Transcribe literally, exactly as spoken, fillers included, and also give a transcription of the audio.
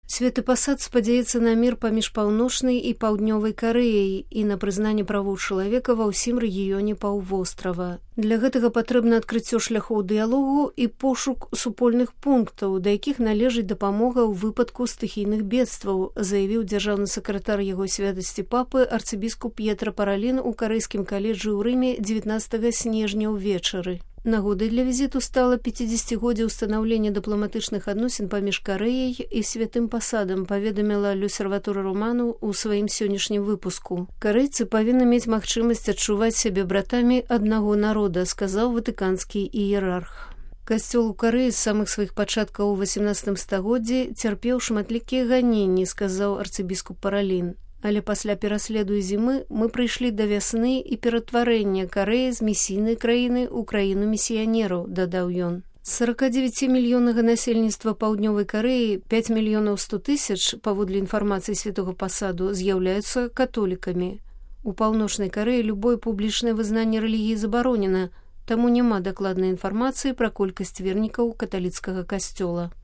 Светы пасад спадзяецца на мір паміж паўночнай і паўднёвай Карэяй і на прызнанне правоў чалавека ва ўсім рэгіёне паўвострава. Для гэтага патрэбна адкрыццё шляхоў дыялогу і пошук супольных пунктаў, да якіх належыць дапамога ў выпадку стыхійных бедстваў, заявіў дзяржаўны сакратар яго святасці папы арцыбіскуп П'етра Паралін у карэйскім каледжы ў Рыме дзевятнаццатага снежня ўвечары. Нагодай для візіту стала пяцідзесяцігоддзе ўстанаўлення дыпламатычных адносін паміж Карэяй і святым пасадам, паведаміла L'Osservatore Romano ў сваім сённяшнім выпуску. Карэйцы павінны мець магчымасць адчуваць сябе братамі аднаго народа, сказаў ватыканскі іерарх. Касцёл у Карэі з самых сваіх пачаткаў у васямнаццатым стагоддзі цярпеў шматлікія ганенні, сказаў арцыбіскуп Паралін. Але пасля пераследу і зімы мы прыйшлі да вясны і ператварэння Карэі з місійнай краіны ў краіну місіянераў, дадаў ён. З сорокадзевяцімільённага насельніцтва паўднёвай Карэі пяць мільёнаў сто тысяч, паводле інфармацыі святога пасаду, з'яўляюцца католікамі. У паўночнай Карэі любое публічнае вызнанне рэлігіі забаронена, таму няма дакладнай інфармацыі пра колькасць вернікаў каталіцкага касцёла.